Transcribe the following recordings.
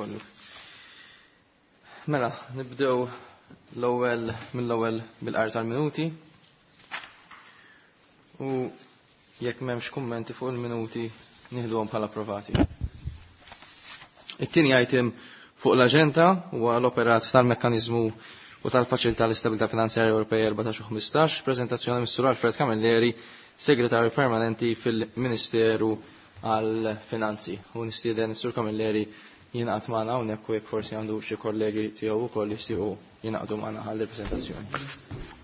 Kollu. Mela, nibdew l-ewwel mill-ewwel bil-qari tal-minuti. U jekk m'hemmx kummenti fuq il-minuti nieħduhom bħala approvati. It-tieni item fuq l-aġenda huwa l-operat tal-mekkaniżmu u tal-Faċilità l-Istabilità Finanzjarja Ewropea 14 u 15, preżentazzjoni mis-Sur Alfred Camilleri, Segretarju Permanenti fil-Ministeru għall-Finanzi. U nistieden is-Sur Camilleri jingħaqad magħna hawnhekk u jekk forsi għandu xi kollegi tiegħu wkoll jixtiequ jingħaqdu magħna għal preżentazzjoni.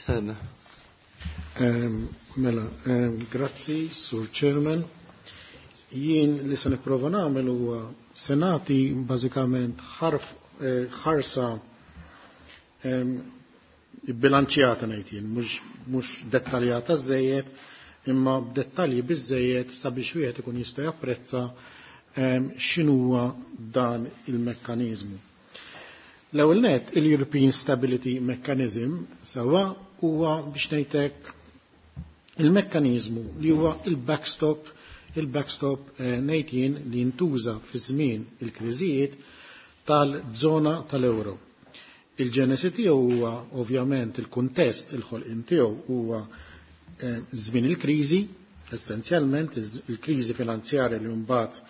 Tista' tibda. Mela, grazzi, Sur Chairman. Jien li se nipprova nagħmel huwa se nagħti bażikament ħarsa bilanċjata ngħid jien, mhux dettaljata żejjed, imma b'dettalji biżejjed sabiex wieħed ikun jista' japprezza x'inhuwa dan il-mekkaniżmu. L-ewwel nett il-European Stability Mechanism sewwa huwa biex ngħidlek il-mekkaniżmu li huwa il-backstop ngħid jien li jintuża fi żmien il-kriżijiet tal-żona tal-euro. Il-ġenesi tiegħu huwa ovvjament il-kuntest il-ħolqien tiegħu huwa żmien il-kriżi, essenzjalment il-kriżi finanzjarja li mbagħad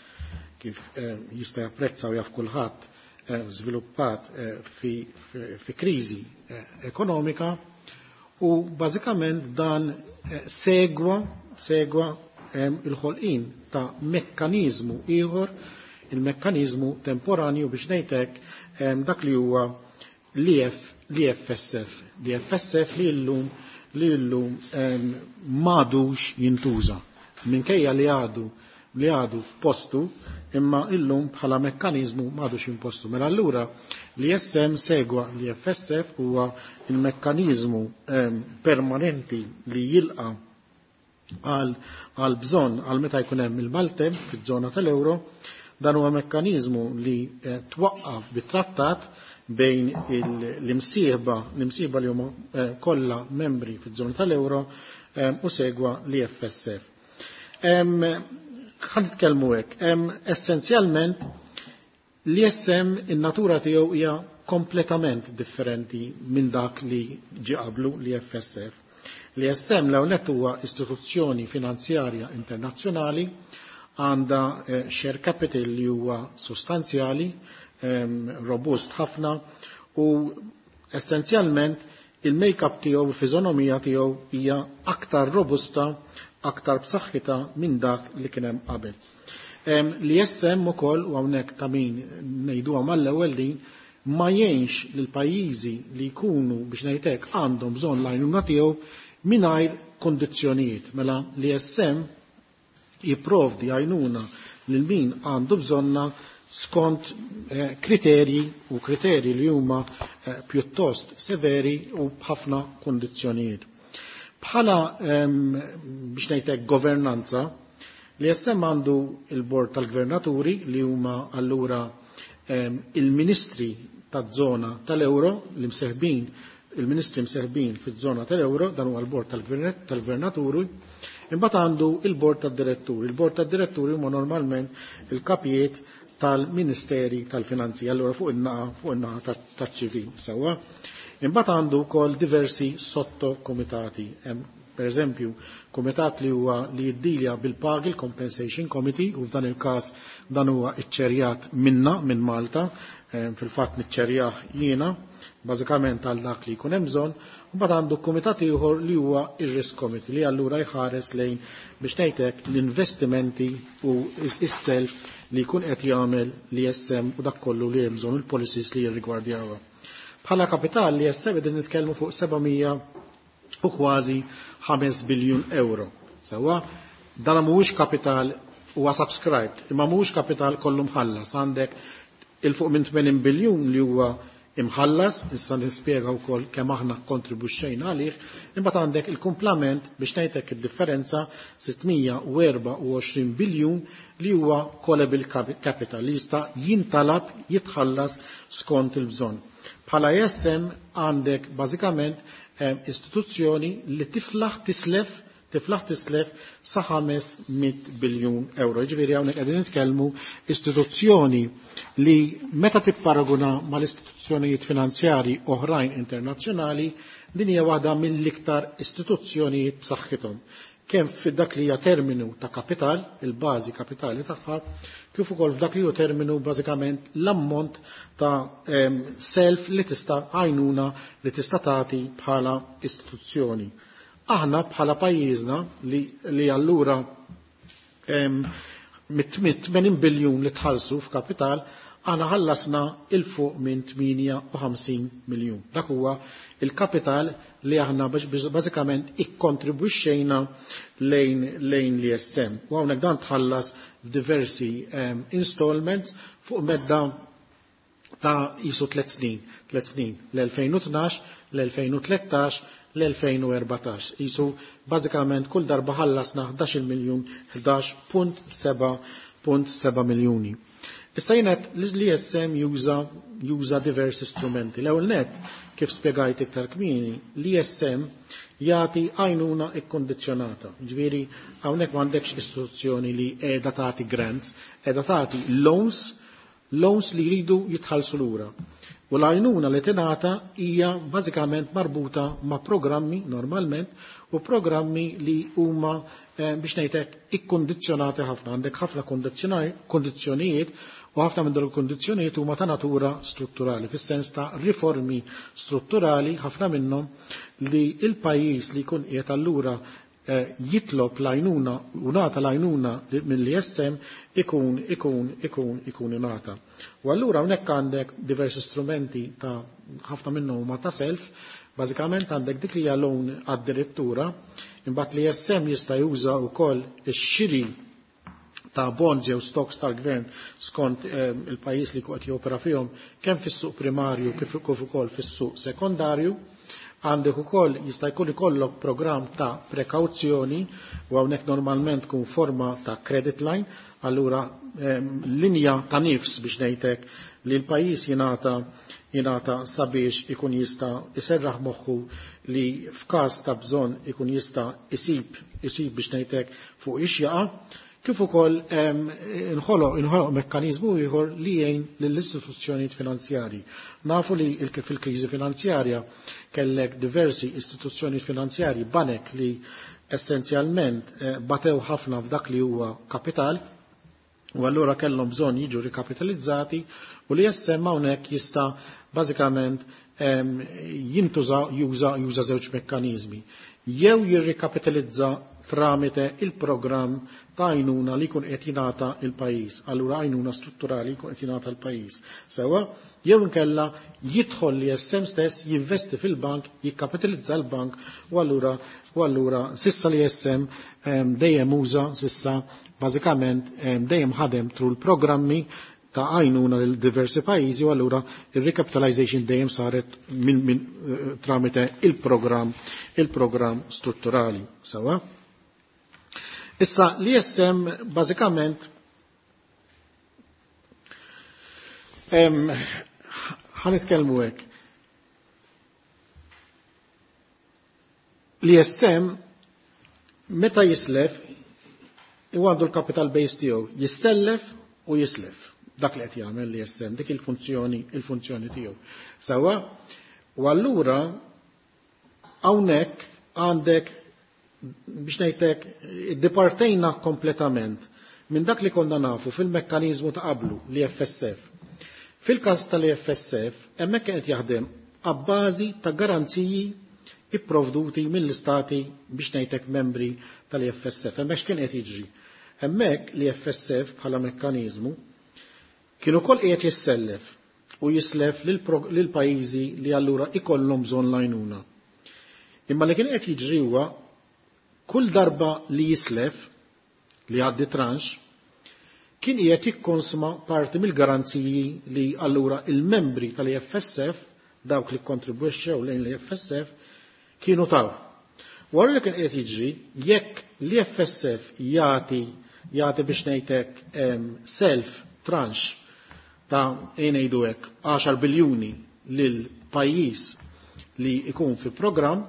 kif jista' japprezza u jaf kulħadd żviluppat fi kriżi ekonomika u bażikament dan segwa il-ħolqien ta' mekkaniżmu ieħor, il-mekkaniżmu temporanju biex ngħidlek dak li huwa l-EFSF, l-EFSF li llum li llum m'għadux jintuża. Minkejja li għadu li għadu f'postu, imma illum bħala mekkaniżmu m'għadux impostu. Mela allura l-ISM segwa l-EFSF huwa il-mekkaniżmu permanenti li jilqa għal bżonn għal meta jkun hemm il-maltemp fiż-żona tal-euro. Dan huwa mekkaniżmu li twaqqaf bit-trattat bejn l-imsieħba, l-imsieħba li huma kollha membri fiż-żona tal-euro u segwa l-EFSF. Ħa nitkellmu hekk. Essenzjalment l-ISM in-natura tiegħu hija kompletament differenti minn dak li ġie qablu l-EFSF. L-ISM l-ewwel nett huwa istituzzjoni finanzjarja internazzjonali, għandha share capital li huwa sostanzjali, robust ħafna u essenzjalment il-make-up tiegħu, il-fiżonomija tiegħu hija aktar robusta, aktar b'saħħitha minn dak li kien hemm qabel. L-ISM ukoll, u hawnhekk ta' min ngħiduha mal-ewwel din, ma jgħinx lil pajjiżi li jkunu biex ngħidlek għandhom bżonn l-għajnuna tiegħu mingħajr kondizzjonijiet. Mela l-ISM jipprovdi għajnuna lil min għandu bżonna skont kriterji u kriterji li huma pjuttost severi u b'ħafna kondizzjonijiet. Bħala biex ngħidlek governanza, l-ISM għandu il-bord tal-gvernaturi li huma allura il-ministri taż-żona tal-euro li mseħbin, il-ministri mseħbin fiż-żona tal-euro, dan huwa l-bord tal-gvernaturi. Imbagħad għandu il-bord tad-diretturi. Il-bord tad-diretturi huma normalment il-kapijiet tal-Ministeri tal-Finanzi, allura fuq in-naqa taċ-ċivil sewwa. Imbagħad għandu wkoll diversi sottokomitati. Hemm per eżempju komitat li huwa li jiddilja bil-pagi, il-Compensation Committee, u f'dan il-każ dan huwa iċċerjat minna minn Malta, fil-fatt niċċerjah jiena, bażikament għal dak li jkun hemm bżonn. U mbagħad għandu kumitat ieħor li huwa ir-Risk Committee li allura jħares lejn biex ngħidlek l-investimenti u is-self li jkun qed jagħmel l-ISM u dak kollu li hemm bżonn il-policies li jirrigwardjawha. Bħala kapital li ISM qegħdin nitkellmu fuq 700 u kważi 5 biljun euro. Sewwa, dan mhuwiex kapital huwa subscribed, imma mhuwiex kapital kollu mħallas. Għandek 'Il fuq minn 80 biljun li huwa imħallas, issa nispjega wkoll kemm aħna kontribwixxejna għalih, imbagħad għandek il-kumplament biex ngħidlek id-differenza 624 biljun li huwa callable capital li jista' jintalab jitħallas skont il-bżonn. Bħala ESM għandek bażikament istituzzjoni li tiflaħ tislef tiflaħ tislef sa 500 biljun euro. Ġifieri hawnhekk qegħdin nitkellmu istituzzjoni li meta tipparaguna mal-istituzzjonijiet finanzjari oħrajn internazzjonali din hija waħda mill-iktar istituzzjonijiet b'saħħithom. Kemm f'dak li hija terminu ta' kapital, il-bażi kapitali tagħha, kif ukoll f'dak li hu terminu bażikament l-ammont ta' self li tista' għajnuna li tista' tagħti bħala istituzzjoni. Aħna bħala pajjiżna li allura mit-80 biljun li tħallsu f'kapital, aħna ħallasna 'il fuq minn 58 miljun. Dak huwa il-kapital li aħna bażikament ikkontribwixxejna lejn l-ESM. U hawnhekk dan tħallas f'diversi installments fuq medda ta' jisu 3 snin, 3 snin, l-2012, l-2013, l-2014. Jisu bażikament kull darba ħallasna 11 miljun, 11.7 miljuni. Issa jienet l-ESM juża diversi strumenti. L-ewwel net, kif spjegajt iktar kmieni, l-ESM jagħti għajnuna ikkondizzjonata. Ġifieri hawnhekk m'għandekx istituzzjoni li qiegħda tagħti grants, qiegħda tagħti loans, loans li jridu jitħallsu lura. U l-għajnuna li tingħata hija bażikament marbuta ma' programmi normalment u programmi li huma biex ngħidlek ikkondizzjonati ħafna. Għandek ħafna kondizzjonijiet u ħafna minn dawn il-kondizzjonijiet huma ta' natura strutturali, fis-sens ta' riformi strutturali ħafna minnhom li il-pajjiż li jkun qiegħed allura jitlob l-għajnuna u nata l-għajnuna mill-ESM ikun ingħata. U allura hawnhekk għandek diversi strumenti ta' ħafna minnhom huma ta' self, bażikament għandek dik li hija loan għad-direttura, imbagħad l-ESM jista' juża wkoll ix-xiri ta' bonds jew stocks tal-gvern skont il-pajjiż li qed jopera fihom kemm fis-suq primarju kif ukoll fis-suq sekondarju. Għandek ukoll jista' jkun ikollok programm ta' prekawzjoni u hawnhekk normalment tkun forma ta' credit line, allura linja ta' nifs biex ngħidlek li l-pajjiż jingħata sabiex ikun jista' iserraħ moħħu li f'każ ta' bżonn ikun jista' isib biex ngħidlek fuq ix jaqa', kif ukoll inħoloq mekkaniżmu ieħor li jgħin lill-istituzzjonijiet finanzjarji. Nafu li fil-kriżi finanzjarja kellek diversi istituzzjonijiet finanzjarji, banek li essenzjalment batew ħafna f'dak li huwa kapital, u allura kellhom bżonn jiġu rikapitalizzati, u li jessem hawnhekk jista' bażikament jintuża juża żewġ mekkaniżmi. Jew jirrikapitalizza tramite il-programm ta' għajnuna li jkun qed jingħata il-pajjiż, allura għajnuna strutturali jkun qed jingħata l-pajjiż. Sewwa, jew inkella jidħol li SM stess jinvesti fil-bank, jikkapitalizza l-bank, u allura sissa li SM dejjem uża sissa bażikament dejjem ħadem tru l-programmi ta' għajnuna lil diversi pajjiżi, u allura il-recapitalization dejjem saret minn tramite il-programm strutturali. Sewwa? Issa l-ESM bażikament ħanitkellmu hekk. L-ESM meta jislef u għandu l-capital base tiegħu, jissellef u jislef. Dak li qed jagħmel l-ESM, dik il-funzjoni tiegħu. Sewwa, u allura hawnhekk għandek biex ngħidlek iddipartejna kompletament minn dak li konna nafu fil-mekkaniżmu ta' qablu l-EFSF. Fil-każ tal-EFSF hemmhekk qed jaħdem abbażi ta' garanziji ipprovduti mill-istati biex ngħidlek membri tal-EFSF. Hemmhekk x'kien qed jiġri? Hemmhekk l-EFSF bħala mekkaniżmu kienu ukoll qiegħed jissellef u jislef lil pajjiżi li allura ikollhom bżonn l-għajnuna. Imma li kien qed jiġri huwa kull darba li jislef li għaddi tranche, kien qiegħed jikkonsma parti mill-garanziji li allura il-membri tal-IFSF, dawk li kontribwixxew lejn l-IFSF, kienu taw. Wara li kien qiegħed jiġri, jekk l-IFSF jagħti biex ngħidlek self tranche ta' ngħidu hekk 10 biljuni lil pajjiż li jkun fi programm,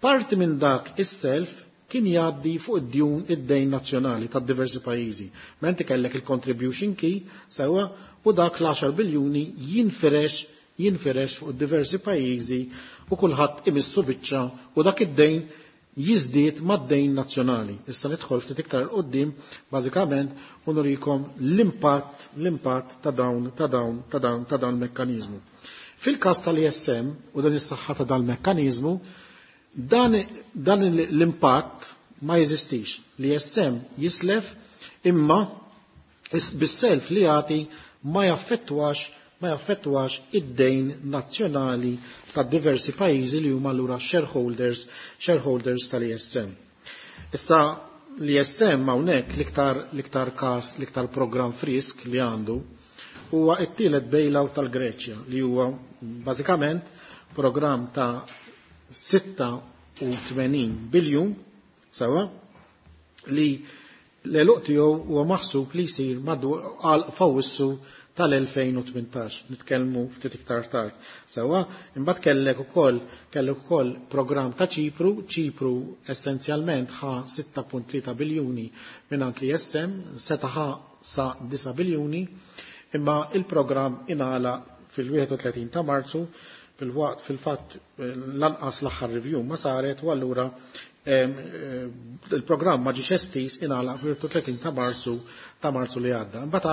parti minn dak is-self kien jgħaddi fuq id-djun id-dejn nazzjonali ta' diversi pajjiżi. Menti kellek il-contribution key sewwa u dak l-10 biljuni jinfirex fuq diversi pajjiżi u kulħadd imissu biċċa u dak id-dejn jiżdied mad-dejn nazzjonali. Issa nidħol ftit iktar 'il quddiem bażikament u nurikom l-impatt ta' dawn ta' dawn ta' dawn ta' dawn mekkaniżmu. Fil-każ tal-ISM u dan is-saħħa ta' dan mekkaniżmu, dan l-impatt ma jeżistix. L-ISM jislef imma bis-self li jagħti ma jaffettwax id-dejn nazzjonali ta' diversi pajjiżi li huma allura shareholders tal-ISM. Issa l-ISM hawnhekk l-iktar każ, l-iktar programm frisk li għandu huwa t-tielet bailout tal-Greċja, li huwa bażikament programm ta' 86 biljun sewwa, li l-għeluq tiegħu huwa maħsub li jsir għal f'Awwissu tal-2018, nitkellmu ftit iktar tard. Sewwa, imbagħad kellek ukoll programm ta' Ċipru. Ċipru essenzjalment ħa 6.3 biljuni mingħand l-ISM, seta' ħa sa 9 biljuni, imma il-programm ingħala fil-31 ta' Marzu, fil-waqt fil-fatt lanqas l-aħħar review ma saret, u allura il-programm ma ġiex estiż, ingħalaq fil-30 ta' Marzu li għadda. Imbagħad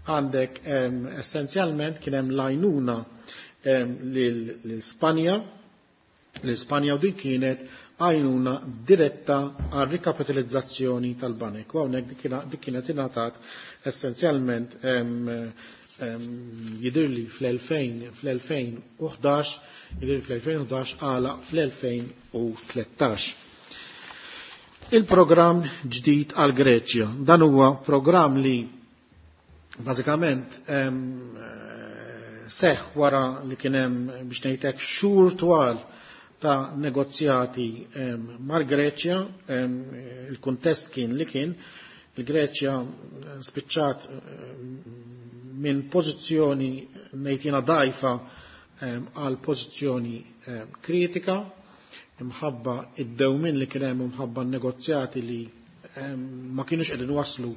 għandek essenzjalment kien hemm l-għajnuna l-Spanja u din kienet għajnuna diretta għal rikapitalizzazzjoni tal-banek. U hawnhekk dik kienet ingħatat essenzjalment, jidirli fl-2011, jidirli fl-2011, għala fl-2013. Il-programm ġdid għal Greċja. Dan huwa programm li bażikament seħ wara li kien hemm, biex ngħidlek, xhur twal ta' negozjati mal-Greċja. Il-kuntest kien li kien il-Greċja spiċċat minn pożizzjoni, ngħid jiena, dgħajfa għal pożizzjoni kritika imħabba id-dewmin li kien hemm, imħabba negozjati li ma kienux qegħdin waslu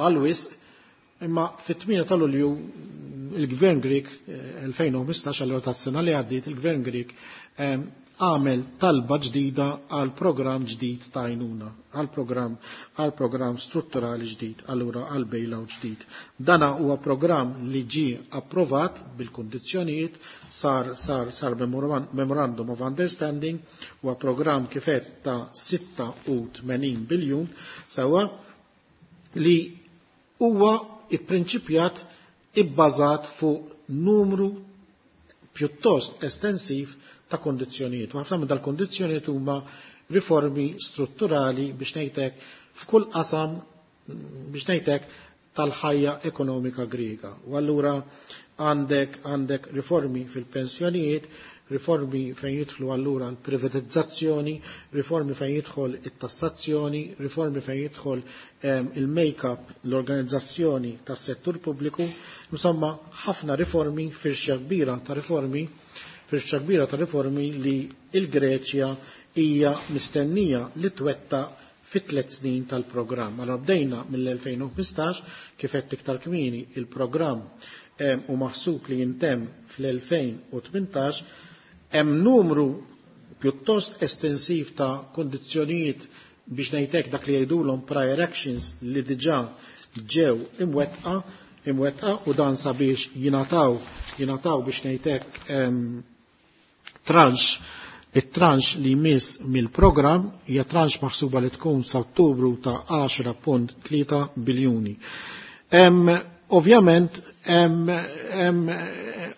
għal wisq. Imma fit-8 ta' Lulju il-Gvern Grek 2015, għal tas-sena li għaddiet, il-Gvern Grek għamel talba ġdida għal programm ġdid ta' għajnuna, għal programm strutturali ġdid, allura għal bailout ġdid. Dana huwa programm li ġi approvat bil-kondizzjonijiet, sar memorandum of understanding, huwa programm kif għedt ta' 86 biljun sewwa, li huwa iprinċipjat ibbażat fuq numru pjuttost estensiv ta' kondizzjonijiet. U ħafna minn dal-kondizzjonijiet huma riformi strutturali, biex ngħidlek, f'kull qasam, biex ngħidlek, tal-ħajja ekonomika Griega. U allura għandek riformi fil-pensjonijiet, riformi fejn jidħlu allura l-privatizzazzjoni, riformi fejn jidħol it-tassazzjoni, riformi fejn jidħol il-make-up, l-organizzazzjoni tas-settur pubbliku, insomma ħafna riformi, firxa kbira ta' riformi, firxa kbira ta' riformi li il-Greċja hija mistennija li twettaq fit 3 snin tal-programm. Allora bdejna mill-2015, kif qed iktar kmieni, il-programm u maħsub li jintemm fl-2018. Hemm numru pjuttost estensiv ta' kondizzjonijiet, biex ngħidlek, dak li jgħidulhom prior actions, li diġà ġew imwettqa u dan sabiex jingħataw, biex ngħidlek, tranche. Il-tranche li jmiss mill-programm hija tranche maħsuba li tkun sa Ottubru ta' 10.3 biljuni. Ovvjament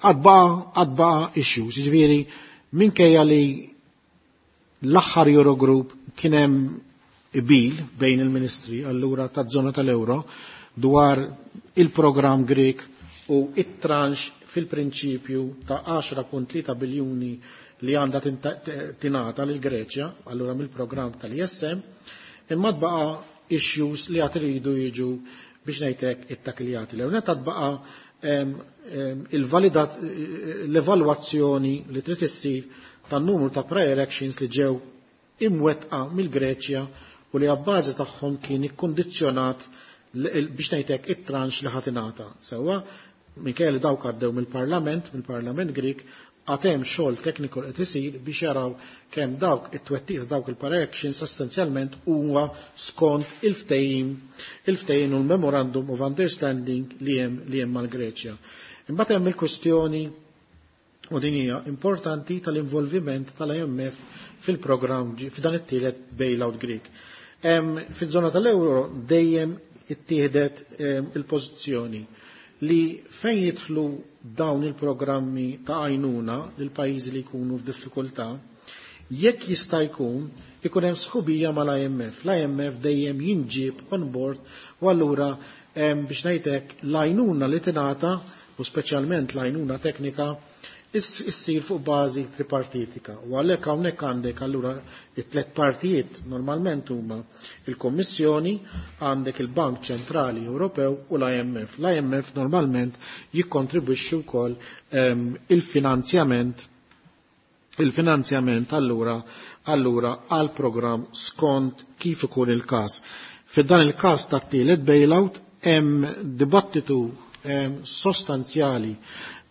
għad baqa' issues, jiġifieri minkejja li l-aħħar Eurogroup kien hemm qbil bejn il-ministri allura ta' zona tal-euro. dwar il-programm Grek u it-tranche fil-prinċipju ta' 10.3 biljuni li għandha tingħata lil Greċja, allura mill-programm tal-ISM, imma tbaqa' issues li għad iridu jiġu biex ngħidlek it-takiljati. L-ewwel tbaqa' l-evalwazzjoni li trid issir tan-numru ta' prior actions li ġew imwettqa mill-Greċja u li għabbażi tagħhom kien ikkondizzjonat biex ngħidlek it-tranche li ħadd ingħata. Sewwa minkejja li dawk għaddew mill-Parlament Grik, għad hemm xogħol tekniku qed isir biex jaraw kemm dawk it-twettiq ta' dawk il-prior essenzjalment huwa skont il-ftehim u l-Memorandum of Understanding li hemm mal-Greċja. Imbagħad hemm il-kwestjoni, u din hija importanti, tal-involviment tal-IMF fil-programm f'dan it-tielet bailout Greek. Fil-żona tal-euro dejjem ittieħdet il-pożizzjoni li fejn jidħlu dawn il-programmi ta' għajnuna lil pajjiżi li jkunu f'diffikultà, jekk jista' jkun ikun hemm sħubija mal-IMF. L-IMF dejjem jinġib on board u allura biex ngħidlek l-għajnuna li tingħata u speċjalment l-għajnuna teknika issir fuq bażi tripartitika. U għalhekk hawnhekk għandek allura it-tlet partijiet normalment huma il-Kommissjoni, għandek il-Bank Ċentrali Ewropew u l-IMF. L-IMF normalment jikkontribwixxu wkoll il-finanzjament allura għal programm skont kif ikun il-każ. Fid-dan il-każ tat-tielet bailout hemm dibattitu sostanzjali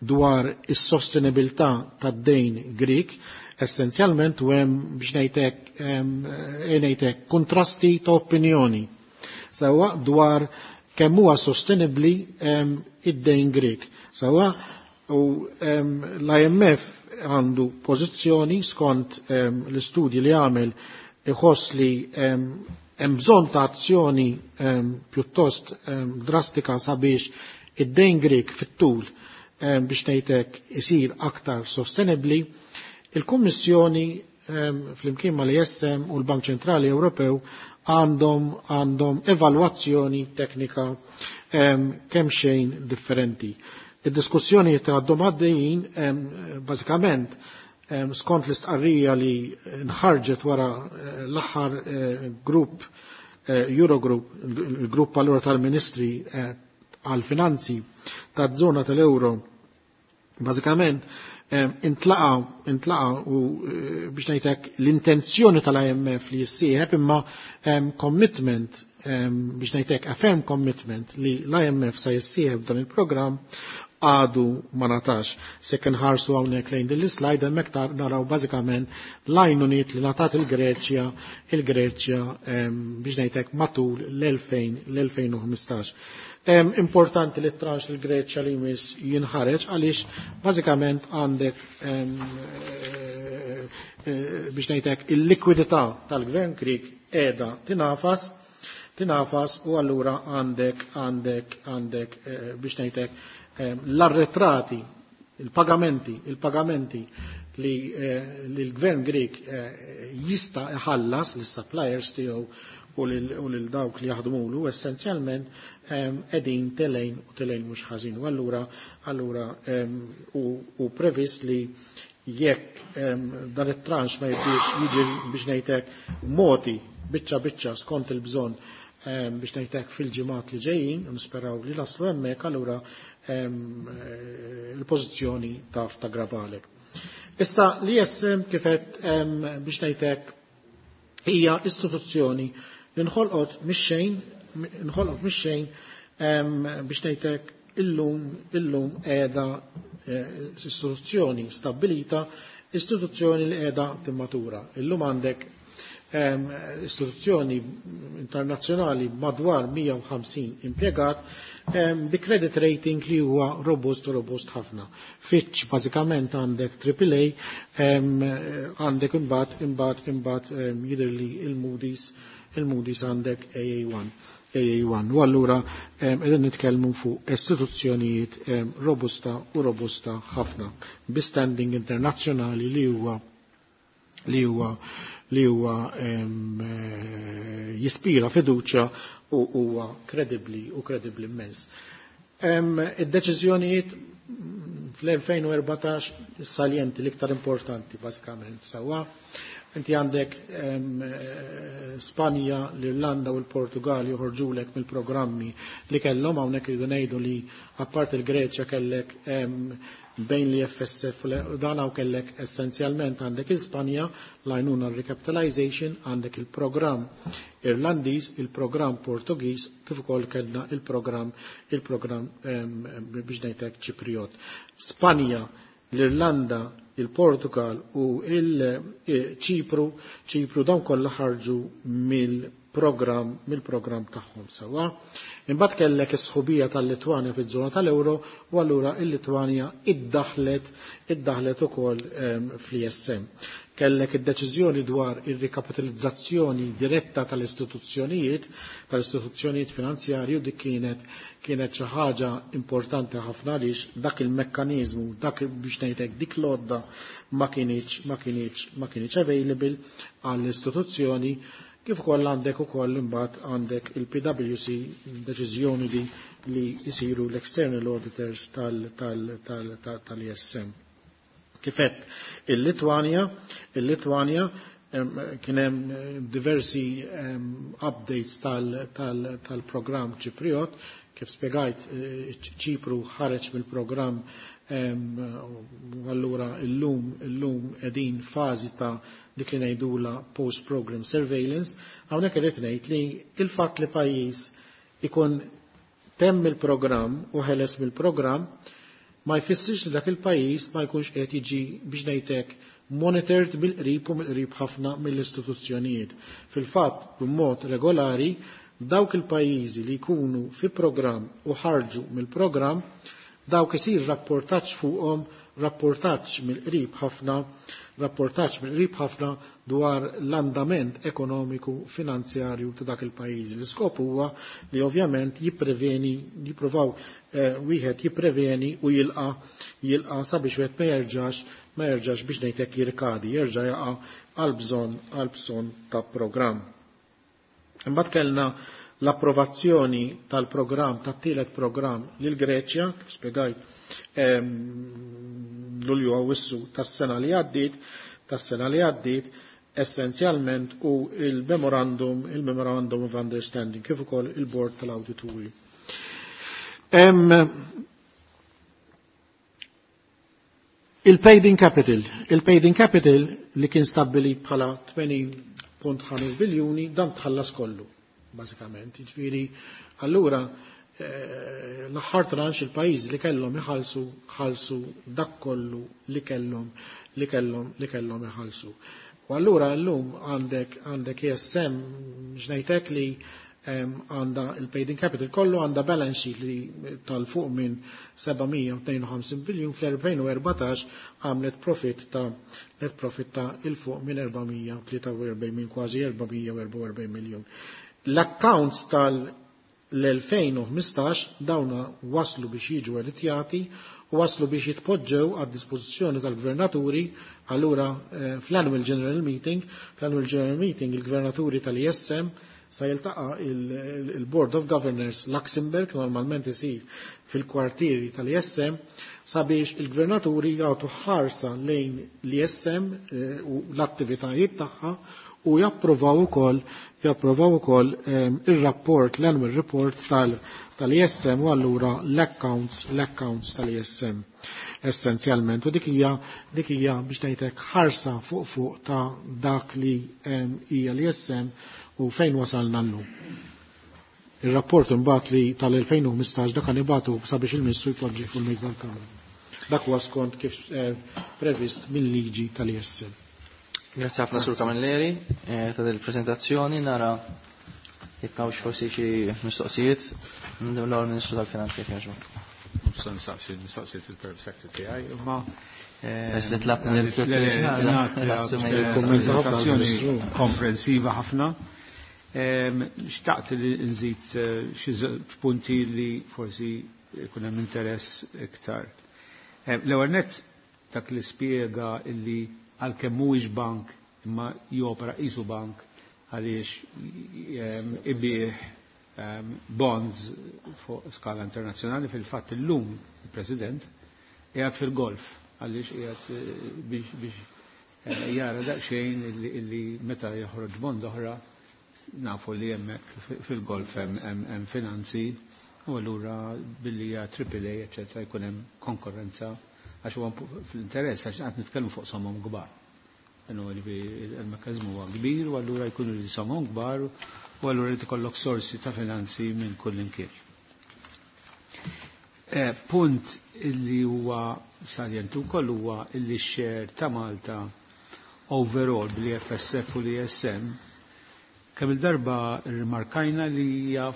dwar is-sostenibilità tad-dejn Grik, essenzjalment, u hemm biex ngħidlek kontrasti ta' opinjoni sewwa dwar kemm huwa sostenibbli id-dejn Grik. Sewwa u l-IMF għandu pożizzjoni skont l-istudji li għamel, iħoss li hemm bżonn ta' azzjoni pjuttost drastika sabiex id-dejn Grik fit-tul biex ngħidlek isir aktar sostenibbli. Il-Kummissjoni flimkien mal-ISM u l-Bank Ċentrali Ewropew għandhom evalwazzjoni teknika kemm xejn differenti. Id-diskussjoni ta' għaddhom għaddejjin bażikament skont l-istqarrija li nħarġet wara l-aħħar grupp Eurogroup, il-grupp allura tal-Ministri għal-finanzi ta' zona tal-euro, bażikament intlaqa u biex ngħidlek l-intenzjoni tal-IMF li jissieħeb, imma commitment biex ngħidlek a firm commitment li l-IMF sa jissieħeb dan il-programm għadu ma ngħatax. Se nħarsu hawnhekk lejn din l-slide hemmhekk naraw bażikament l-għajnuniet li ngħatat il-Greċja biex ngħidlek matul l-2015. Importanti li tranche l-Greċja li jmiss jinħareġ għaliex bażikament għandek biex ngħidlek il-likwidità tal-gvern Grik qiegħda tinafas u allura għandek biex ngħidlek l-arretrati, il-pagamenti li l-gvern Grek jista' iħallas lis-suppliers tiegħu u lil dawk li jaħdmulu essenzjalment qegħdin telgħin u telgħin mhux ħażin. U allura u previst li jekk dan it-tranche ma jibdiex jiġi biex ngħidlek moti biċċa biċċa skont il-bżonn biex ngħidlek fil-ġimgħat li ġejjin, u nisperaw li naslu hemmhekk, allura il-pożizzjoni taf taggravalek. Issa l-ISM kif għedt biex ngħidlek hija istituzzjoni li nħolqot mix-xejn biex ngħidlek illum qiegħda istituzzjoni stabilita, istituzzjoni li qiegħda timmatura. Illum għandek istituzzjoni internazzjonali madwar 150 impjegat bi credit rating li huwa robust, robust ħafna. Fitch bażikament għandek AAA, għandek imbagħad jidher li il-Moody's għandek AA1. AA1. U allura qegħdin nitkellmu fuq istituzzjonijiet robusta u robusta ħafna bi standing internazzjonali li huwa li huwa li huwa jispira fiduċja u huwa kredibbli u kredibbli immens. Id-deċiżjonijiet fl-2014 salienti l-iktar importanti bażikament sewwa. Inti għandek Spanja, l-Irlanda u l-Portugal joħorġulek mill-programmi li kellhom. Hawnhekk iridu ngħidu li apart il-Greċja kellek bejn li FSF u dan hawn kellek essenzjalment għandek il-Spanja l-għajnuna recapitalization, għandek il-programm Irlandiż, il-programm Portugiż, kif ukoll kellna il-programm biex ngħidlek Ċipriot. Spanja, l-Irlanda, il-Portugal u il-Ċipru, Ċipru dawn kollha ħarġu mill-programm tagħhom sewwa. Imbagħad kellek is-sħubija tal-Litwanja fiż-żona tal-Ewro u allura il-Litwanja iddaħlet ukoll fl-ISM. Kellek id-deċiżjoni dwar ir-rikapitalizzazzjoni diretta tal-istituzzjonijiet finanzjarju. Dik kienet xi ħaġa importanti ħafna għaliex dak il-mekkaniżmu, dak biex ngħidlek dik l-għodda ma kinitx available għall-istituzzjoni. Kif ukoll għandek ukoll imbagħad għandek il-PwC, deċiżjoni li jisiru l-external auditors tal-ISM. Kifet il-Litwanja kien hemm diversi updates tal-programm Ċipriot. Kif spiegajt, Ċipru ħareġ mill-programm u allura illum qegħdin fażi ta' dik li ngħidula post-program surveillance. Hawnhekk irid ngħid li il-fatt li pajjiż ikun temm il-programm u ħeles mill-programm ma jfissirx li dak il-pajjiż ma jkunx qed jiġi biex ngħidlek monitored mill-qrib u mill-qrib ħafna mill-istituzzjonijiet. Fil-fatt, b'mod regolari, dawk il-pajjiżi li jkunu fi programm u ħarġu mill-programm, dawk isir rapportaġġ fuqhom, rapportaġġ mill-qrib ħafna, rapportaġġ mill-qrib ħafna dwar l-andament ekonomiku finanzjarju ta' dak il-pajjiż. L-iskop huwa li ovvjament jippreveni, jippruvaw wieħed jippreveni u jilqa sabiex wieħed ma jerġax biex ngħidlek jirkadi, jerġa' jaqa' għal bżonn ta' programm. Imbagħad kellna l-approvazzjoni tal-programm, tat-tielet programm lil Greċja, kif spiegajt, Lulju Awwissu tas-sena li għaddiet essenzjalment, u il-memorandum of understanding, kif ukoll il-board tal-awdituri. Il-paid in capital, il-paid in capital li kien stabbilit bħala 80.5 biljuni, dan tħallas kollu, bażikament. Jiġifieri, allura l-aħħar tranche il-pajjiż li kellhom iħallsu ħallsu dak kollu li kellhom iħallsu. U allura llum għandek ESM x'ngħidlek li għandha il-paid in capital kollu, għandha balance sheet li tal-fuq minn 752 biljun. Fl-2014 għamlet profit ta' net profit ta' il-fuq minn 443, minn kważi 444 miljon. L-accounts tal-2015 dawna waslu biex jiġu editjati u waslu biex jitpoġġew għad dispożizzjoni tal-gvernaturi. Allura fl-annual general meeting il-gvernaturi tal-ISM sa jiltaqa' il-Board of Governors Luxembourg, normalment isir fil-kwartieri tal-ISM, sabiex il-gvernaturi jagħtu ħarsa lejn l-ISM u l-attivitajiet tagħha u japprovaw ukoll ir-rapport, l-annual report tal-ISM u allura l-accounts tal-ISM essenzjalment. U dik hija biex ngħidlek ħarsa fuq ta' dak li hija l-ISM u fejn wasalna llum. Il-rapport imbagħad li tal-2015 dak nibagħtu sabiex il-Ministru jpoġġi fuq il-mejda tal-Kamra. Dak huwa skont kif previst mill-liġi tal-ISM. Grazie ħafna, Sur Camilleri, ta' del-prezentazzjoni. Nara jekk hawnx forsi xi mistoqsijiet. Nibdew l-ewwel Ministru tal-Finanzi, jekk jogħġbok. Mhux se nistaqsi mistoqsijiet il-Perm Secretary tiegħi, imma Bes li tlabna lil prezentazzjoni komprensiva ħafna. Xtaqt li nżid xi żewġ punti li forsi jkun hemm interess iktar. L-ewwel nett dak li spjega illi għalkemm mhuwiex bank imma jopera qisu bank għaliex ibih bonds fuq skala internazzjonali. Fil-fatt illum il-President qiegħed fil-golf għaliex qiegħed biex jara daqsxejn illi meta joħroġ bond oħra, nafu li hemmhekk fil-golf hemm finanzi u allura billi hija AAA, eċetera, jkun hemm konkurrenza għax huwa fl-interess, għax qed nitkellmu fuq somom kbar. Il-mekkaniżmu huwa kbir u allura jkunu li somom kbar u allura li tkollok sorsi ta' finanzi minn kull imkien. Punt illi huwa saljentu wkoll huwa illi share ta' Malta overall bl-FSF u l-ESM, kemm il-darba rimarkajna li hija,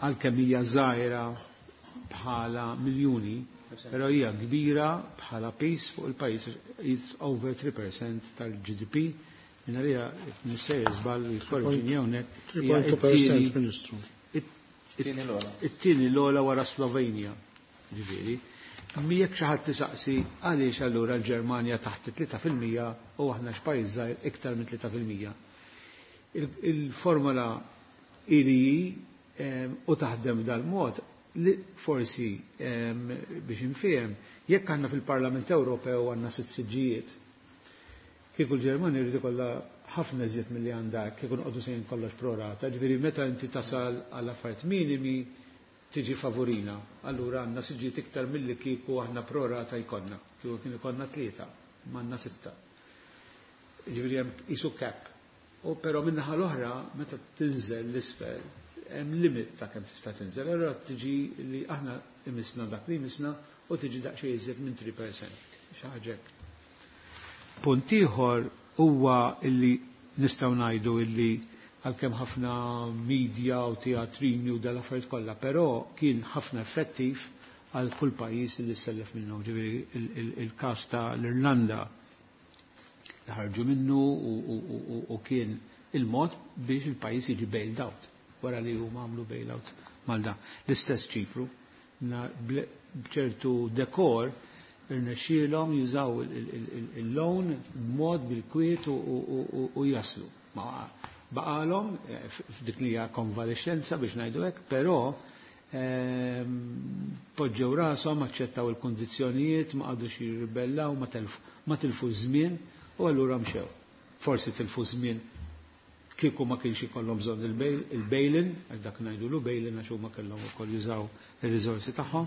għalkemm hija żgħira bħala miljuni, però hija kbira bħala piż fuq il-pajjiż, it's over 3% tal-GDP. Minna li nissejjer żball jkorreġini hawnhekk. 3.2%, Ministru. It-tieni l-ogħla wara Slovenja, ġifieri. Jekk xi ħadd tisaqsi għaliex allura l-Ġermanja taħt 3% u aħna x'pajjiż żgħir iktar minn 3%. Il-formula ili u taħdem dal-mod li forsi biex infihem, jekk għandna fil-Parlament Ewropew għandna sitt siġġijiet, kieku l-Ġermanja jrid ikollha ħafna iżjed milli għandha kieku noqogħdu sejn kollox prorata, ġifieri meta inti tasal għal affarijiet minimi tiġi favorina. Allura għandna siġġijiet iktar milli kieku aħna prorata jkollna. Kieku kien ikollna tlieta, ma għandna sitta. Ġifieri hemm qisu cap. U però min-naħa l-oħra meta tinżel l-isfel hemm limit ta' kemm tista' tinżel, allura tiġi li aħna imisna dak li imisna u tiġi daqsxejn iżjed minn 3%. Xi ħaġa hekk. Punt ieħor huwa illi nistgħu ngħidu illi għalkemm ħafna media u teatrini u dal-affarijiet kollha, però kien ħafna effettiv għal kull pajjiż li sellef minnu. Ġifieri il-każ ta' l-Irlanda li ħarġu minnu u kien il-mod biex il-pajjiż jiġi bailed out wara li huma għamlu bailout mal da. L-istess Ċipru, b'ċertu dekor irnexxielhom jużaw il-loan b'mod bil-kwiet u jaslu. Baqalhom f'dik li hija konvalescenza biex ngħidu hekk, però poġġew rashom, aċċettaw il-kondizzjonijiet, ma qagħdux jirribellaw, ma tilfu żmien u allura mxew. Forsi tilfu żmien kieku ma kienx ikollhom bżonn il-bail-in, għax dak ngħidulu bail-in għax huma kellhom ukoll jużaw ir-riżorsi tagħhom.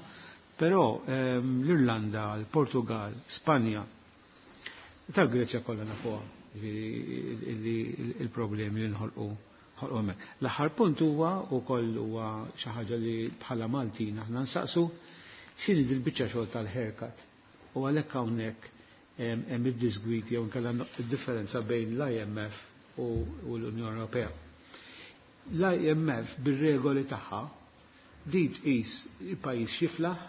Però l-Irlanda, l-Portugal, Spanja, tal-Greċja kollha nafuha, ġifieri il-problemi li nħolqu ħolqu hemmhekk. L-aħħar punt huwa wkoll huwa xi ħaġa li bħala Maltin aħna nsaqsu x'inhi dil-biċċa xogħol tal-haircut. U għalhekk hawnhekk hemm id-disgwiti jew inkella id-differenza bejn l-IMF u l-Unjoni Ewropea. L-IMF bir-regoli tagħha di tqis il-pajjiż xiflaħ,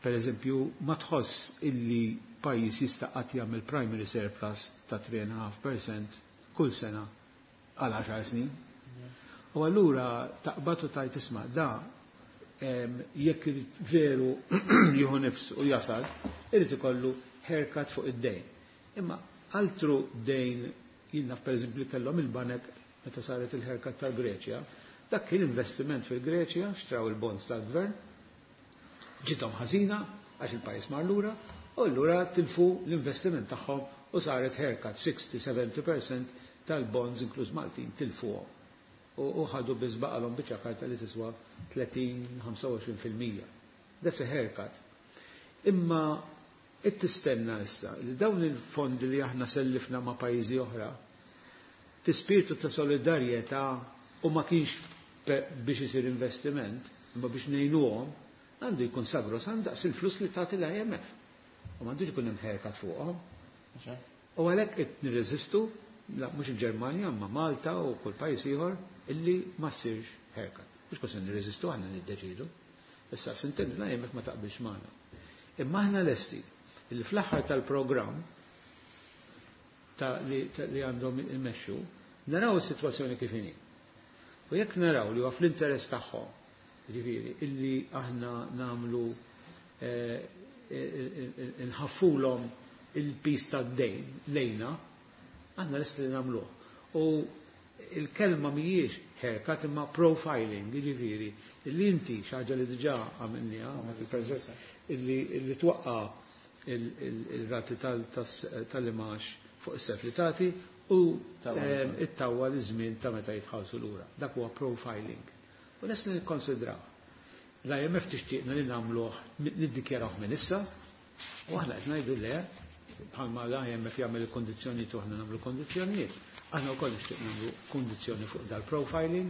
per eżempju, ma tħoss illi pajjiż jista' qatt jagħmel primary surplus ta' 3.5% kull sena għal 10 snin. U allura taqbad u tajt isma' da jekk irid veru jieħu nifs u jasal, irid ikollu haircut fuq id-dejn. Imma altru dejn jien naf, per eżempju, kellhom il-banek meta saret il-haircut tal-Greċja, dak kien investiment fil-Greċja, xtraw il-bonds tal-gvern, ġiethom ħażina għax il-pajjiż mar lura, u allura tilfu l-investiment tagħhom u saret haircut 60-70% tal-bonds inkluż Maltin tilfuhom. U ħadu biss baqalhom biċċa karta li tiswa 30-25%. That's a haircut. Imma it tistenna issa li dawn il-fondi li aħna sellifna ma' pajjiżi oħra fi spiritu ta' solidarjetà u ma kienx biex isir investiment, imma biex ngħinuhom, għandu jkun sagrosant daqs il-flus li tagħti l-IMF. U m'għandux ikun hemm haircut fuqhom. U għalhekk qed nirreżistu, la mhux il-Ġermanja, ma Malta u kull pajjiż ieħor illi ma ssirx haircut. Mhux kos nirreżistu, aħna niddeċidu. Issa sintendi l-IMF ma taqbilx magħna. Imma aħna lesti illi fl-aħħar tal-programm ta' li għandhom imexxu, naraw is-sitwazzjoni kif inhi. U jekk naraw li huwa fl-interess tagħhom, ġifieri, illi aħna nagħmlu nħaffulhom. il-piż tad-dejn lejna, aħna lesti li nagħmluh. U il-kelma mhijiex haircut imma profiling, jiġifieri li inti xi ħaġa li diġà għamilniha, illi twaqqa' il-rati tal-imax fuq is-self li tagħti u ittawwal iż-żmien ta' meta jitħallsu lura. Dak huwa profiling. U lest li nikkonsidraw. L-IMF tixtieqna li nagħmluh, niddikjarawh minn issa, u aħna qed ngħidu le, bħalma l-IMF jagħmel il-kondizzjonijiet u aħna nagħmlu kondizzjonijiet. Aħna wkoll nixtieq nagħmlu kondizzjoni fuq dal-profiling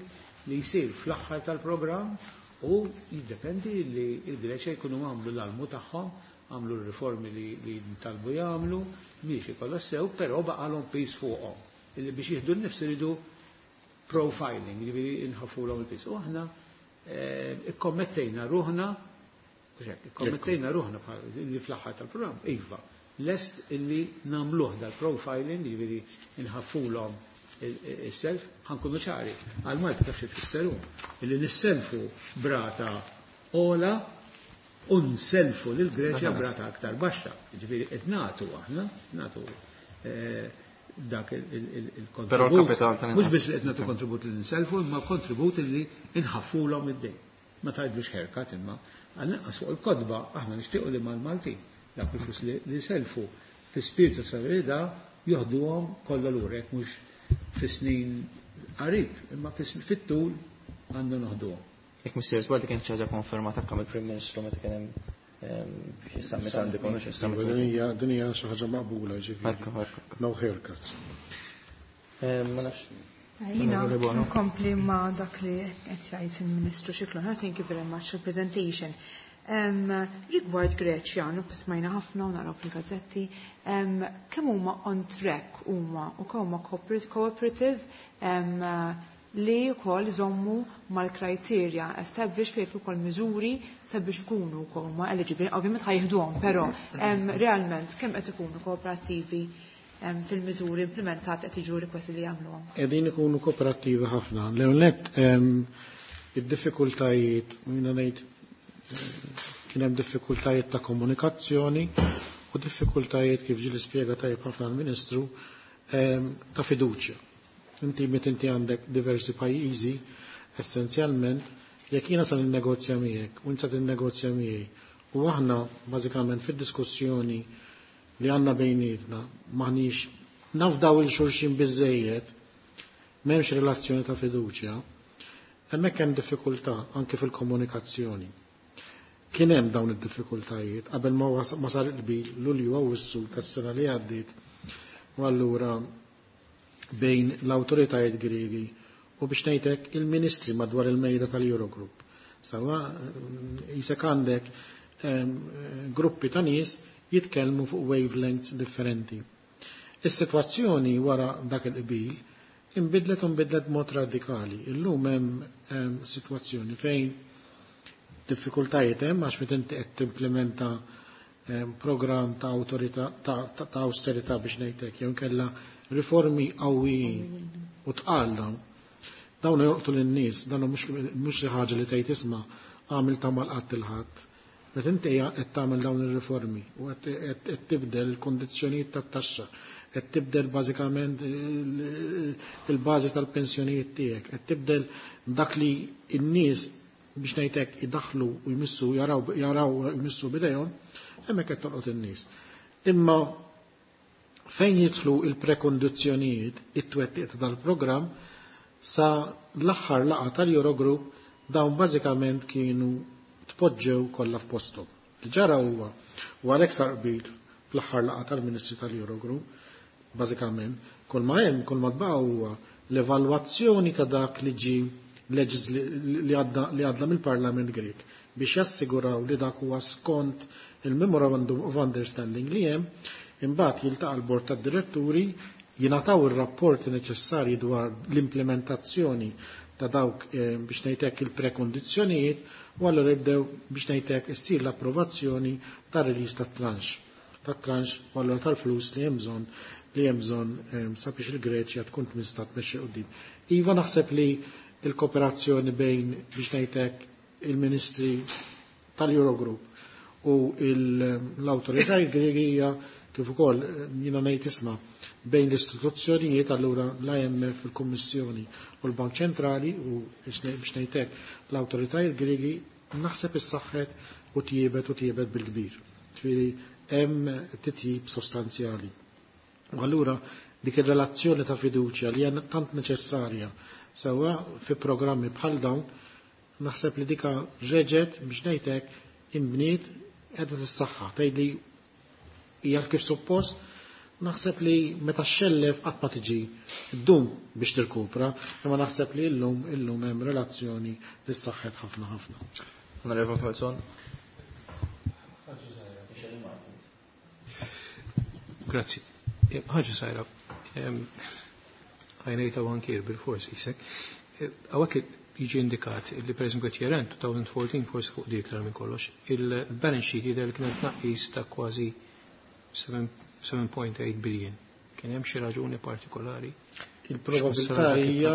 li jsir fl-aħħar tal-programm u jiddependi li l-Greċja jkunu għamlu l-almu tagħhom, għamlu r-riformi li ntalbu jagħmlu, miexi kollox sew, però baqalhom piż fuqhom. Illi biex jieħdu n-nifs iridu profiling, jiġifieri nħaffulhom il-piż. U aħna ikkommettejna ruħna, ikkommettejna ruħna li fl-aħħar tal-programm, iva, lest illi nagħmluh dal-profiling, jiġifieri nħaffulhom is-self, ħankunu ċari. Għal Malta taf xi tfisser hu, illi nisselfu brata ola u nselfu lil Greċja brata aktar baxxa. Jiġifieri qed nagħtu aħna, nagħtu dak il-kontribut. Però l-kapital tal Mhux biss li qed nagħtu kontribut li nselfu, imma kontribut li nħaffulhom id-dejn. Ma tgħidlux haircut imma għall-inqas fuq il-kotba aħna nixtiequ li mal-Maltin dak il-flus li selfu fi spiritu solidarità joħduhom kollha lura jekk mhux fi snin qarib, imma fit-tul għandna noħduhom. Jekk mhux sejjer żball kien xi ħaġa konfermata anke mill-Prim Ministru meta kien hemm xi summit għandi konu xi summit. Din hija xi ħaġa maqbula ġifieri. No haircuts. Ma nafx. Jiena nkompli ma' dak li qed jgħid il-Ministru Scicluna. Thank you very much for presentation. Rigward Greċja, smajna ħafna u naraw fil-gazzetti, kemm huma on track huma u kemm huma cooperative li wkoll iżommu mal-criteria established fejn ukoll miżuri sabiex ikunu wkoll huma eligible. Ovvjament ħa jieħduhom, però realment kemm qed ikunu kooperattivi fil-miżuri implementat qed jiġu requesti li jagħmluhom? Qegħdin ikunu kooperattivi ħafna. L-ewwel nett id-diffikultajiet, jiena ngħid kien hemm diffikultajiet ta' komunikazzjoni u diffikultajiet kif ġie spjega tajjeb ħafna l-Ministru ta' fiduċja. Inti meta inti għandek diversi pajjiżi, essenzjalment, jekk jiena sa ninnegozja miegħek u inti sa tinnegozja miegħi u aħna bażikament fid-diskussjoni li għandna bejnietna m'aħniex nafdaw il xulxin biżejjed, m'hemmx relazzjoni ta' fiduċja, hemmhekk hemm diffikultà anke fil-komunikazzjoni. Kien hemm dawn id-diffikultajiet qabel ma sar il-qbil Lulju Awwissu tas-sena li għaddiet u allura bejn l-awtoritajiet Griegi u biex ngħidlek il-ministri madwar il-mejda tal-Eurogroup. Sawa jisek għandek gruppi ta' nies jitkellmu fuq wavelengths differenti. Is-sitwazzjoni wara dak il-qbil inbidlet u nbidlet b'mod radikali. Illum hemm sitwazzjoni fejn diffikultajiet hemm għax meta inti qed timplementa programm ta' awtorità ta' austerità biex ngħidlek jew inkella riformi qawwijin u tqal dawn. Dawn joqtu lin-nies, dawn mhux xi ħaġa li tgħid isma' għamil ta' mal-qatt il-ħadd. Meta inti qed tagħmel dawn ir-riformi u qed tibdel il-kondizzjonijiet tat-taxxa, qed tibdel bażikament il-bażi tal-pensjonijiet tiegħek, qed tibdel dak li n-nies biex ngħidlek idaħlu u jmissu jaraw jmissu bidejhom, hemmhekk qed tolqot in-nies. Imma fejn jidħlu il-prekondizzjonijiet it-twettiq ta' dal-programm sa l-aħħar laqgħa tal-Eurogroup dawn bażikament kienu tpoġġew kollha f'posthom. Li ġara huwa u għalhekk sar qbil fl-aħħar laqgħa tal-Ministri tal-Eurogroup, bażikament, kull ma hemm, kull ma tbaqa' huwa l-evalwazzjoni ta' dak li ġie li għadda mill-Parlament Grek biex jassiguraw li dak huwa skont il-Memorandum of Understanding li hemm, imbagħad jiltaqa' l-Bord tad-Diretturi, jingħataw ir-rapporti neċessarji dwar l-implementazzjoni ta' dawk biex ngħidlek il-prekondizzjonijiet u allura jibdew biex ngħidlek issir l-approvazzjoni tar-release tat-tranche. Tat-tranche u allura tal-flus li hemm bżonn li hemm bżonn sabiex il-Greċja tkun tista' tmexxi quddiem. Iva naħseb li il-kooperazzjoni bejn biex ngħidlek il-Ministri tal-Eurogroup u l-awtoritajiet Griegi hija kif ukoll jiena ngħid isma' bejn l-istituzzjonijiet allura l-IMF, il-Kummissjoni u l-Bank Ċentrali u biex ngħid hekk l-awtoritajiet Griegi naħseb issaħħet u tjiebet u tjiebet bil-kbir. Ġifieri hemm titjib sostanzjali. U allura dik ir-relazzjoni ta' fiduċja li hija tant neċessarja sewwa fi programmi bħal dawn naħseb li dika reġgħet biex ngħid hekk inbniet qiegħda tissaħħa tgħidli hija kif suppost naħseb li meta xxellef qatt ma tiġi ddum biex tirkupra, imma naħseb li llum illum hemm relazzjoni li ssaħħet ħafna ħafna. Onorevole Falzon. Grazzi. Ħaġa sajra, għajnejta bankier bil-fors jisek. Għawek jiġi indikat li per eżempju qed year-end 2014 forsi fuq dik iktar minn kollox, il-balance sheet jidher li kienet tnaqqis ta' kważi 7.8 billion. Kien hemm xi raġuni partikolari? Il-probabilità hija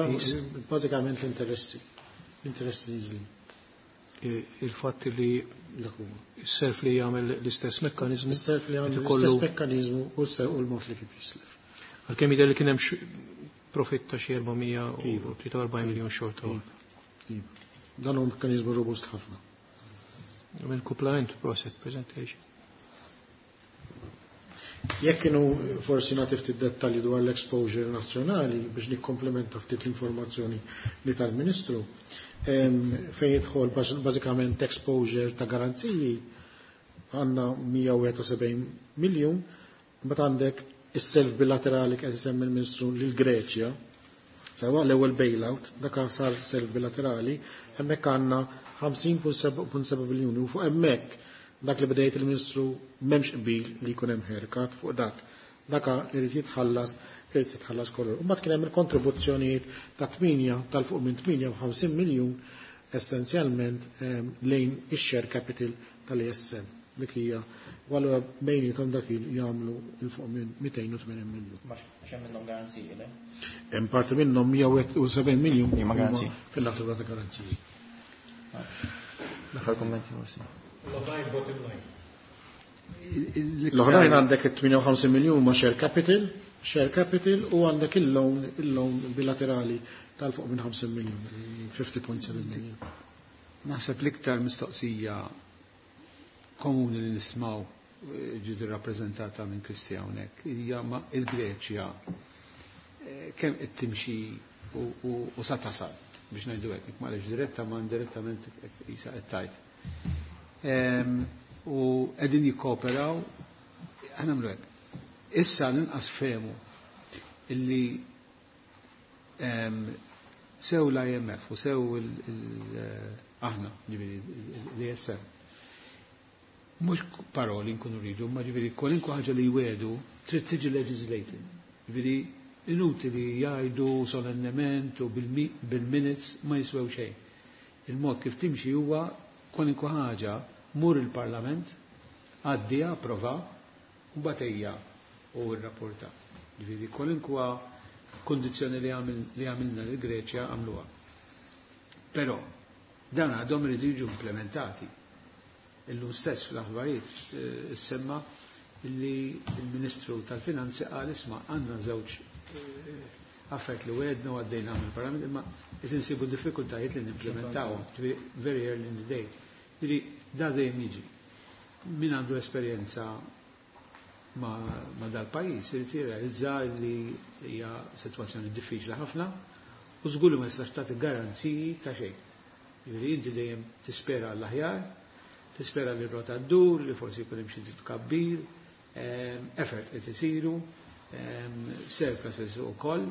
bażikament l-interessi. L-interessi niżlin. Il-fatt li s-self li jagħmel l-istess mekkaniżmu. Is-self li jagħmel l-istess mekkaniżmu u l-mod li kif jislef. Għalkemm jidher li kien hemm profitt ta' xi 443 miljun xorta waħda. Iva. Dan huwa mekkaniżmu robust ħafna. Mill-kuplament proset presentation. Jekk kienu forsi nagħti ftit dettalji dwar l-exposure nazzjonali biex nikkomplementa ftit l-informazzjoni li tal-Ministru, fejn jidħol bażikament exposure ta' garanziji għandna 171 miljun, mbagħad għandek is-self bilaterali qed isemmi l-Ministru lil Greċja, sewa l-ewwel bailout, dak sar self bilaterali, hemmhekk għandna 50.7 biljuni u fuq hemmhekk dak li bdejt il-Ministru m'hemmx qbil li jkun hemm haircut fuq dak. Daka irid jitħallas, irid jitħallas kollu. U mbagħad kien hemm il-kontribuzzjonijiet ta' 8 tal-fuq minn 58 miljun essenzjalment lejn ix-share capital tal-ISM. Dik hija u allura bejnietom dak jagħmlu il fuq minn 280 miljun. Ma x'hemm minnhom garanziji, le? Hemm parti minnhom 170 miljun Huma garanziji. Fil-natura ta' garanziji. L-aħħar kummenti forsi. L-oħrajn bottom line. L-oħrajn għandek 58 miljun ma' share capital, share capital u għandek il-loan, il-loan bilaterali tal-fuq minn 50 miljun, 50.7 miljun. Naħseb l-iktar mistoqsija komuni li nismaw ġiet irrappreżentata minn Kristi hawnhekk hija ma il-Greċja kemm qed timxi u sa tasal biex ngħidu hekk, m'għaliex diretta ma indirettament isa qed tgħid. U qegħdin jikkooperaw, aħna nagħmlu hekk. Issa l-inqas fehmu illi sew l-IMF u sew aħna, ġifieri l-ESM, mhux paroli nkunu rridu, ma ġifieri kwalinkwa ħaġa li jwedu trid tiġi legislated. Ġifieri inutili jgħidu solennement u bil-minutes ma jiswew xejn. Il-mod kif timxi huwa kwalinkwa ħaġa mur il-Parlament, għaddija, approva, u mbagħad ejja u rrapporta. Ġifieri kwalinkwa kondizzjoni li għamilna lil Greċja għamluha. Però dan għadhom iridu jiġu implementati. Illum stess fl-aħbarijiet semma li l-Ministru tal-Finanzi qal isma' għandna żewġ affarijiet li wegħedna u għaddejna mill-Parlament imma qed insibu diffikultajiet li nimplementawhom, very early in the day. Ġifieri da dejjem jiġi. Min għandu esperjenza ma dal-pajjiż irid jirrealizza li hija sitwazzjoni diffiċli ħafna u żgur li ma jistax tagħti garanziji ta' xejn. Ġifieri inti dejjem tispera l-aħjar, tispera li r-rota ddur, li forsi jkun hemm xi tkabbir, effort qed isiru, surpluses ukoll,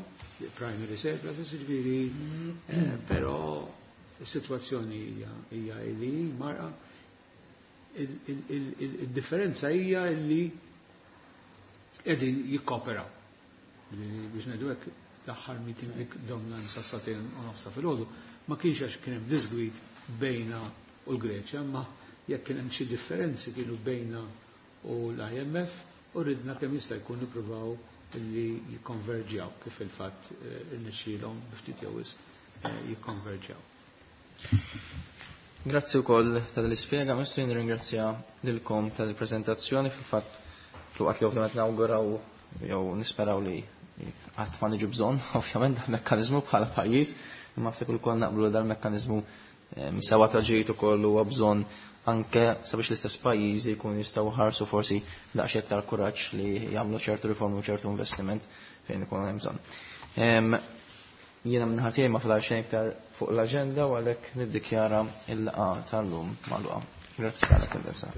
primary surpluses, ġifieri, però is-sitwazzjoni hija li marqa. Il-differenza hija li qegħdin jikkoperaw. Biex ngħidu hekk l-aħħar meeting li domna sa sagħtejn u nofsa filgħodu ma kienx għax kien hemm disgwid bejna u l-Greċja, ma jekk kien hemm xi differenzi kienu bejna u l-IMF u ridna kemm jista' jkun nippruvaw li jikkonverġjaw kif il-fatt irnexxielhom bi ftit jew wisq jikkonverġjaw. Grazzi wkoll tal-ispjega, Ministru, nirringrazzja lilkom tal-preżentazzjoni. Fil-fatt, fl-waqt li ovvjament nawguraw jew nisperaw li qatt ma niġu bżonn, ovvjament, dal-mekkaniżmu bħala pajjiż, imma naħseb ukoll naqblu dal-mekkaniżmu sewa ta' ġid ukoll huwa bżonn anke sabiex l-istess pajjiżi jkunu jistgħu ħarsu forsi daqsxejn aktar kuraġġ li jagħmlu ċertu riformi u ċertu investiment fejn ikun hemm bżonn. Jiena minn ħadd ma fadal xejn iktar fuq l-aġenda u għalhekk niddikjara l-laqgħa tal-lum magħluqa. Grazzi tal-attendenza.